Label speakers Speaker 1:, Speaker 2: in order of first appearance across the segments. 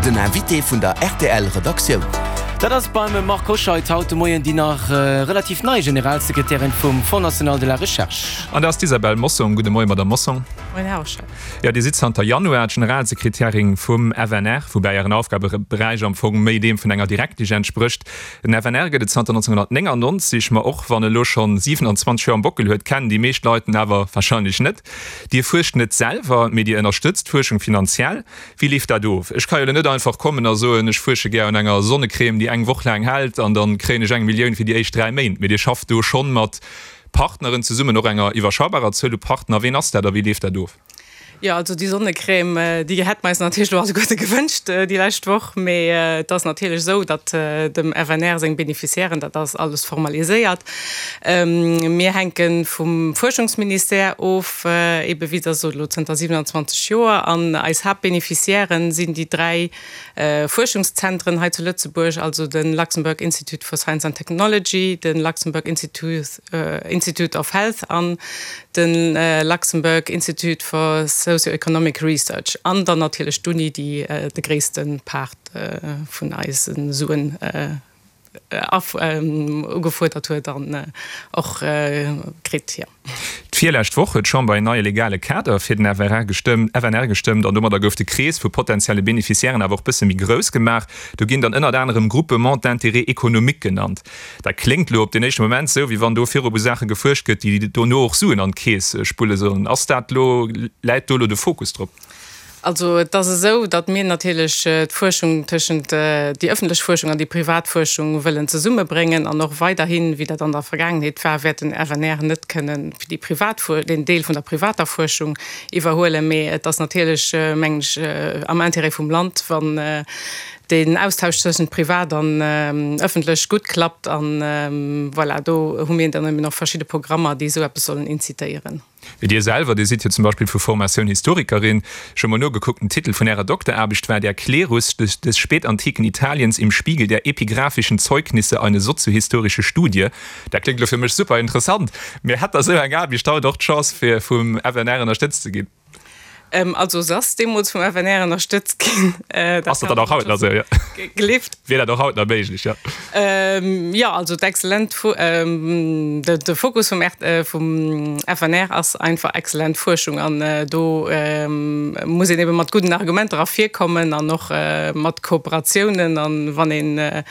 Speaker 1: Den Invité vun der rtl Redaktioun.
Speaker 2: Dat ass beim Marc Hoscheid haut de Moien déi nach relativ nei Generalsekretärin vum Fonds national de la Recherche.
Speaker 3: An dat ass d'Isabelle Mossong. Gudde Moien, Madamm Mossong.
Speaker 4: Moien, Här Hoscheid.
Speaker 3: Jo, Dir sidd zanter Januar d'Generalsekretärin vum FNR, woubäi Ären Aufgabeberäich am Fong méi deem vun enger Direktesch entsprécht. Den FNR gëtt et zanter 1999, ma och wann e lo schonn 27 Joer am Bockel huet, kennen déi meescht Leit en awer warscheinlech net. Dir fuerscht net selwer, mee Dir ënnerstëtzt d'Fuerschung finanziell. Wéi leeft dat of? Ech ka jo lo net einfach kommen a soen, ech fuersche gär un enger Sonnecrème, déi eng Woch laang hält, an dann kréien ech eng Millioun fir déi éischt 3 Méint. Mee Dir schafft do schonn mat Partneren zesummen, och enger iwwerschaubarer Zuel u Partner. Ween ass dat a wéi leeft dat of?
Speaker 4: Jo, also déi Sonnecrème, déi hätte mer eis natierlech elo alleguerte gewënscht déi lescht Woch. Mee et ass natierlech esou, datt dem FNR seng Beneficiairen, dat ass alles formaliséiert. Mir hänke vum Fuerschungsministère of, eebe wéi Der sot, elo zënter 27 Joer. An eis Haaptbeneficiairen sinn déi 3 Fuerschungszentren hei zu Lëtzebuerg, also de Luxembourg Institute for Science and Technology, de Luxembourg Institute of Health an de Luxembourg Institute for Socio-Economic Research an dann natierlech d'Uni, déi de gréisste Part vun eise Suen ugefuerdert huet an och kritt, jo.
Speaker 3: D'virlescht Woch huet d'Chamber een neie legale Kader fir den FRR gestëmmt, FNR gestëmmt an domadder gouf de Krees vu potentielle Beneficiairen awer och bësse méi grouss gemaach. Do ginn dann ënnert anerem Groupements d'intérêt économique genannt. Dat kléngt elo op den éischte Moment esou, wéi wann do virop u Saache gefuerscht gëtt, déi dono och Suen an d'Keess spulle sollen. Ass dat elo, läit do elo de Fokus drop?
Speaker 4: Also et ass esou, datt mir natierlech d'Fuerschung tëschent déi ëffentlech Fuerschung an déi privat Fuerschung wëllen zesummebréngen an och weiderhin, wéi dat an der Vergaangenheet war, wäert den FNR net kënnen déi privat, deen Deel vun der privater Fuerschung iwwerhuelen. Mee et ass natierlech, mengen ech, am Intérêt vum Land, wann deen Austausch tëschent privat an ëffentlech gutt klappt. An voilà, do hu mir dann eben och verschidde Programmer, déi esou eppes sollen incitéieren.
Speaker 3: Mee Dir selwer, Dir sidd jo zum Beispill vu Formatioun Historikerin. Ech hu mol nogekuckt, den Titel vun Ärer Dokteraarbecht war Der Klerus des des spätantiken Italiens im Spiegel der epigraphischen Zeugnisse, eine soziohistorische Studie. Dat kléngt elo fir mech super interessant. Mee hätt Der esou eng Aarbecht haut och d'Chance fir vum FNR ënnerstëtzt ze ginn?
Speaker 4: Also se ass deemools vum FNR ënnerstëtzt ginn.
Speaker 3: Ass dat dann och haut nach esou, jo?
Speaker 4: Gelift?
Speaker 3: Wier dat och haut nach méiglech, jo?
Speaker 4: Jo, also d'exzellent, de Fokus vum vum FNR ass einfach exzellent Fuerschung an do muss een ebe mat gudden Argumenter ervirkommen an och mat Kooperatiounen an wann ee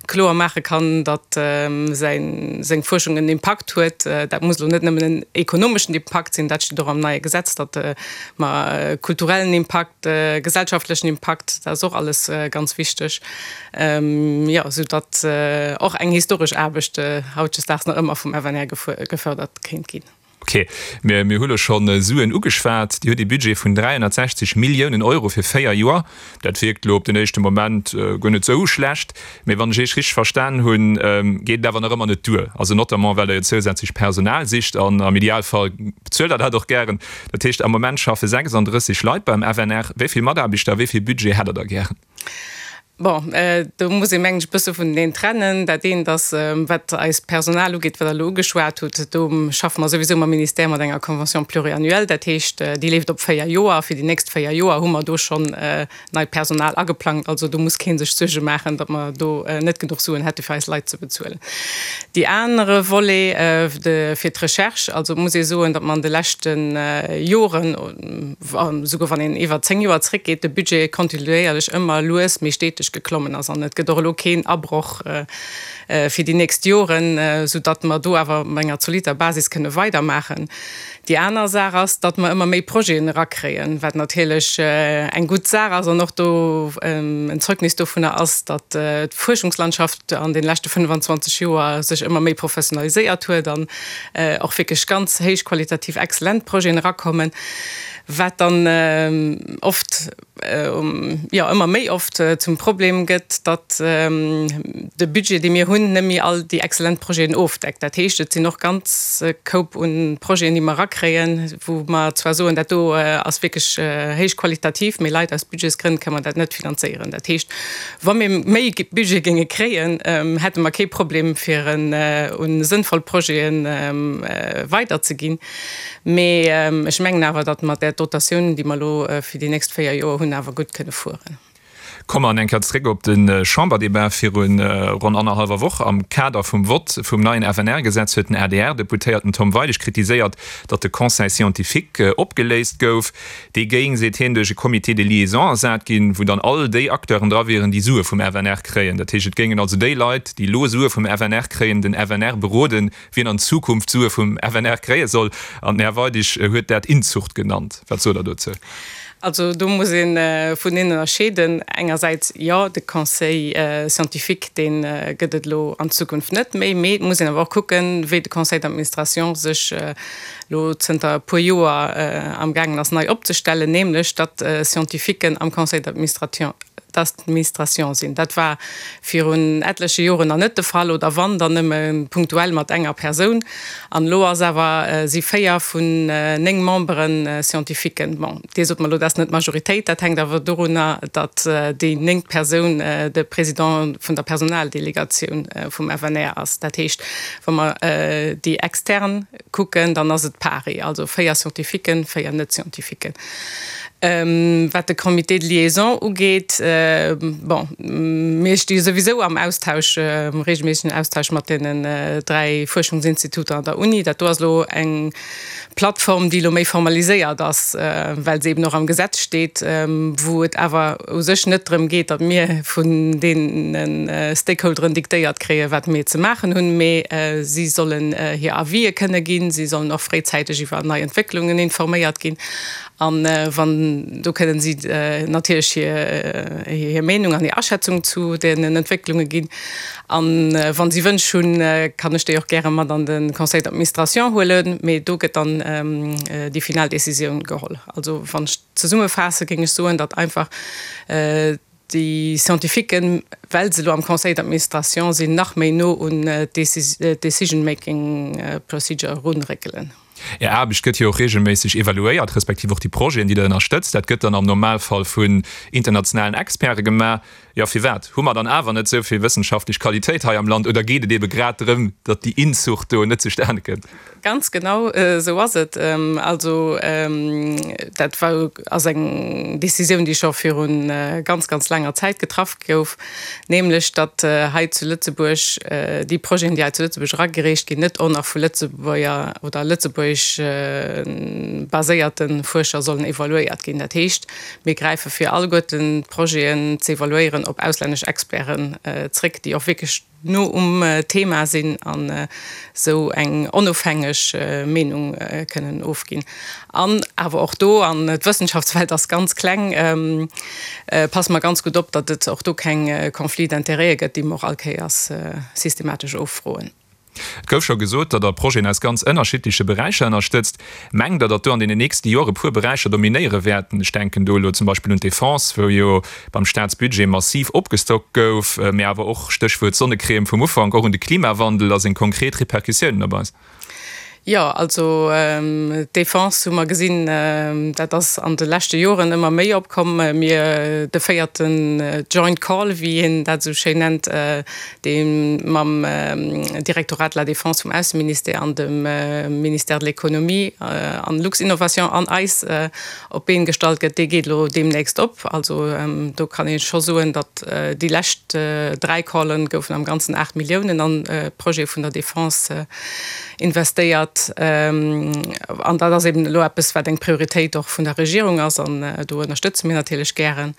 Speaker 4: kloer maache kann, datt säin, seng Fuerschung en Impakt huet. Dat muss elo net nëmmen en ekonomeschen Impakt sinn, dat steet och am neie Gesetz, datt mer kulturellen Impakt, gesellschaftlechen Impakt, dat ass och alles ganz wichteg, jo, esou datt och eng historesch Aarbecht hautdesdaags nach ëmmer vum FNR gefërdert kéint ginn.
Speaker 3: Ok, mir hu lo schonn Suen ugeschwat. Dir hutt ee Budget vun 360 Milliounen Euro fir 4 Joer. Dat wierkt lo op den éischte Moment guer net esou schlecht. Mee wann ech Iech richteg verstan hunn, geet et awer nach ëmmer net duer. Also notamment well Der jo zousätzlech Personal sicht an am Idealfall bezuelt Der dat och gären. Dat heescht, am Moment schaffe 36 Leit beim FNR. Wéi vill Mataarbechter, wéi vill Budget hätt Der da gären?
Speaker 4: Bon, do muss ee mengen ech e bësse vuneneen trennen. Dat eent ass, wat eist Personal ugeet, wat Der elo ugeschwat hutt, do schaffe mer souwisou mam Ministère mat enger Convention pluriannuelle. Dat heescht, déi leeft op 4 Joer a fir déi nächst 4 Joer hu mer do schonn neit Personal ageplangt. Also do muss kee sech Suerge maachen, datt mer do net genuch Suen hätte fir eis Leit ze bezuelen. Dee anere Volet fir d'Recherche, also muss ee soen, datt mer an de leschte Joren, Esouguer wann een iwwer 10 Joer zréckgeet, de Budget kontinuéierlech ëmmer lues mee steteg geklommen ass. An et gëtt och elo keen Abroch fir déi nächst Joren, soudatt mer do awer op enger zolitter Basis kënne weidermaachen. Déi aner Saach ass, datt mer ëmmer méi Projeten erakréien, wat natierlech eng gutt Saach ass an och do en Zeugnis dovunner ass, datt d'Fuerschungslandschaft an de leschte 25 Joer sech ëmmer méi professionaliséiert huet an och wierklech ganz héichqualitativ exzellent Projeten erakommen, wat dann oft, jo ëmmer méi oft zum Problem gëtt, datt de Budget, dee mir hunn, net méi all déi exzellent Projeten ofdeckt. Dat heescht, et sinn och ganz Koup un Projeten, déi mer erakréien, wou mer zwar soen, dat do ass wierklech héichqualitativ, mee leider aus Budgetsgrënn kënne mer dat net finanzéieren. Dat heescht, Wa mir méi Budget géinge kréien, hätte mer kee Problem fir en un sënnvoll Projete weiderzeginn. Mee ech mengen awer, datt mer där Dotatioun, déi mer elo fir déi nächst 4 Joer hunn, awer gutt kënne fueren.
Speaker 3: Komme mer eng Kéier zréck op de Chamberdebat viru ronn annerhallwer Woch. Am Kader vum Vott vum neien FNR-Gesetz huet den ADR-Deputéierten Tom Weidig kritiséiert, datt de Conseil scientifique opgeléist gouf. Dee géing, seet hien, duerch e Comité de liaison ersat ginn, wou dann all déi Acteuren dra wieren, déi Sue vum FNR kréien. Dat heescht, et géingen also déi Leit, déi elo Sue vum FNR kréien, den FNR beroden, wien an Zukunft Sue vum FNR kréie soll. An den Här Weidig huet dat Inzucht genannt. Wat sot Der dozou?
Speaker 4: Also do muss ee vun ënnerscheeden. Engersäits, jo, de Conseil scientifique, dee gëtt et elo an Zukunft net méi. Mee et muss een awer och kucken, wéi de Conseil d'administration sech elo zënter e puer Joer amgaangen ass nei opzestellen, nämlech datt Scientifiquen am Conseil d'administration sinn. Dat war virun etleche Joren nach net de Fall, oder wann, dann nëmme punktuell mat enger Persoun. An elo ass awer, si 4 vun 9 Memberen Scientifiquen. Bon, Dir sot mer elo, dat ass net d'Majoritéit. Dat hänkt awer dorunner, datt déi néngt Persoun de Président vun der Personaldelegatioun vum FNR ass. Dat heescht, wa mer déi extern kucken, dann ass et pari, also 4 Scientifiquen, 4 Net-Scientifiquen. Wat de Comité de liaison ugeet, bon, mir sti souwisou am Austausch, am reegelméissegen Austausch mat deenen 3 Fuerschungsinstituter an der Uni. Dat do ass elo eng Plattform, déi elo méi formaliséiert ass, well se eben och am Gesetz steet, wou et awer u sech net drëm geet, datt mir vun deene Stakeholderen diktéiert kréien, wat mir ze maachen hunn, mee si sollen hir Avisë kënne ginn, si sollen och fréizäiteg iwwer nei Entwécklungen informéiert ginn. An wann, do kënnen si natierlech hir Meenung an hir Aschätzung zu deenen Entwécklunge ginn. A wa si Wënsch hunn, kann ech déi och gäre mat an de Conseil d'administration huelen, mee do gëtt dann déi final Décisioun geholl. Also wann ech zesummefaasse géing ech soen, datt einfach déi Scientifiquen, well se elo am Conseil d'administration sinn, nach méi no un d'Decision-making procedure erunréckelen.
Speaker 3: Är Aarbecht gëtt jo och reegelméisseg evaluéiert, respektiv och déi Projeten, déi Der ënnerstëtzt. Dat gëtt dann am Normalfall vun internationalen Experte gemaach. Jo, firwat hu mer dann awer net esou vill wëssenschaftlech Qualitéit hei am Land? Oder geet et eebe grad drëm, datt déi Inzucht do net zustane kënnt?
Speaker 4: Ganz genau esou ass et. Also dat war, ass eng Décisioun, déi scho viru ganz, ganz laanger Zäit getraff gouf, nämlech datt hei zu Lëtzebuerg déi Projeten, déi hei zu Lëtzebuerg eragereecht ginn, net och nach vu Lëtzebuerger oder lëtzebuergesch baséierte Fuerscher sollen evaluéiert ginn. Dat heescht, mir gräife fir alleguerten d'Projeten ze evaluéieren op auslännesch Experten zréck, déi och wierklech no um Thema sinn an esou eng onofhängeg Meenung kënnen ofginn. An awer och do, an d'Wëssenschaftswelt ass ganz kleng, passe mer ganz gutt op, datt et och do keng Conflits d'intérêts gëtt, déi mer och all Kéiers systematesch offroen.
Speaker 3: Et gouf scho gesot, datt Der Projeten aus ganz ënnerschiddleche Beräicher ënnerstëtzt. Mengt Der, datt do an deenen nächste Jore puer Beräicher dominéiere wäerten? Ech denken do elo zum Beispill un d'Defense, wou jo beim Staatsbudget massiv opgestockt gouf, mee awer och, Stéchwuert Sonnecrème vum Ufank, och un de Klimawandel a seng konkret Repercussiounen op eis.
Speaker 4: Jo, also d'Defense hu mer gesinn, dat ass an de leschte Joren ëmmer méi opkomm. Mir, de véierten Joint Call, wéi een dat esou schéin nennt, dee mam Directorat de la Défense vum Ausseministère an dem Ministère de l'Économie an Luxinnovation an eis op d'Been gestallt gëtt, dee geet elo deemnächst op. Also do kann ee scho soen, datt déi lescht 3 Callen goufen am Ganzen 8 Milliounen an Projete vun der Defense investéiert. An dat ass eben elo eppes, wat eng Prioritéit och vun der Regierung ass an do ënnerstëtze mir natierlech gären.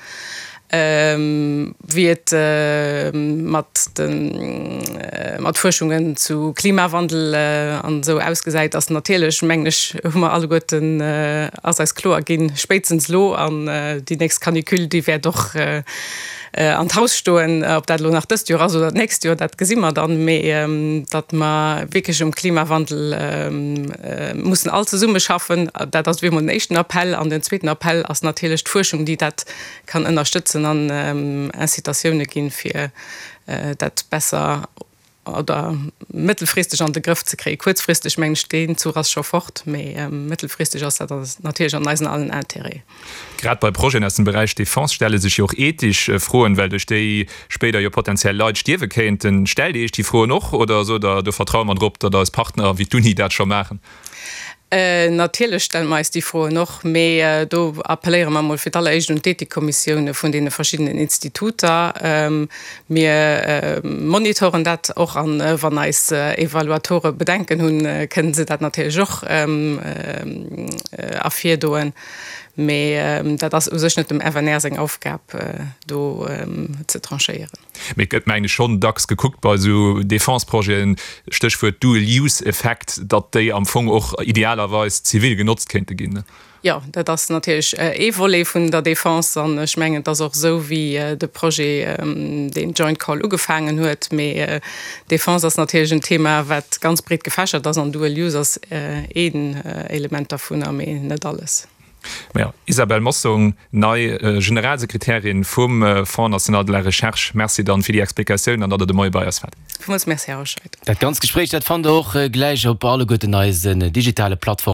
Speaker 4: Wéi et mat de mat Fuerschungen zu Klimawandel an esou ausgesäit, ass natierlech, mengen ech, hu mer alleguerten, ass eis kloer ginn, spéitstens elo an déi nächst Canicule, déi wäert och an d'Haus stoen. Ob dat elo nach dëst Joer ass oder d'nächst Joer, dat gesi mer dann, mee datt mer wierklech um Klimawandel mussen all zesummeschaffen, dat ass ewéi emol den éischten Appell. An den zweeten Appell ass natierlech d'Fuerschung, déi dat kann ënnerstëtzen an Incitatioune ginn, fir dat besser oder mëttelfristeg an de Grëff ze kréien. Kuerzfristeg mengen ech, deen Zuch ass scho fort, mee mëttelfristeg ass dat natierlech an eisen allen Intérêt.
Speaker 3: Grad bei Projeten aus dem Beräich Defense stelle sech jo och ethesch Froen, well duerch déi spéider jo potenziell Leit stierwe kéinten. Stellt Dir Iech déi Froen och oder sot Der, do vertraue mer drop, datt eis Partner wéi d'Uni dat scho maachen?
Speaker 4: Natierlech stelle mer eis déi Froen och, mee do appelléiere mer emol fir d'alleréischt un d'Ethikkommissioune vun deene verschiddenen Instituter. Mir monitoren dat och an wann eis Evaluatore Bedenken hunn, kënnen se dat natierlech och ervirdoen. Mee dat ass u sech net dem FNR seng Aufgab, do ze tranchéieren.
Speaker 3: Mee et gëtt, mengen ech, schonn dacks gekuckt bei esou Defense-Projeten, Stéchwuert Dual-Use-Effekt, datt déi am Fong och idealerweis zivil genotzt kéinte ginn.
Speaker 4: Jo, dat ass natierlech ee Volet vun der Defense. An ech mengen, et ass och esou, wéi de Projet, deen Joint Call ugefaangen huet. Mee Defense ass natierlech en Thema, wat ganz breet gefächert ass. An Dual Use ass een Element dervunner, mee net alles.
Speaker 3: Majo, Isabelle Mossong, nei Generalsekretärin vum Fonds national de la recherche, Merci dann fir déi Explikatioun an datt Der de Moie bei eis waart.
Speaker 4: Villmools Merci, Här Hoscheit.
Speaker 2: Dat ganzt Gespréich, dat fannt Der och gläich op alleguerten eisen digitale Plattformen.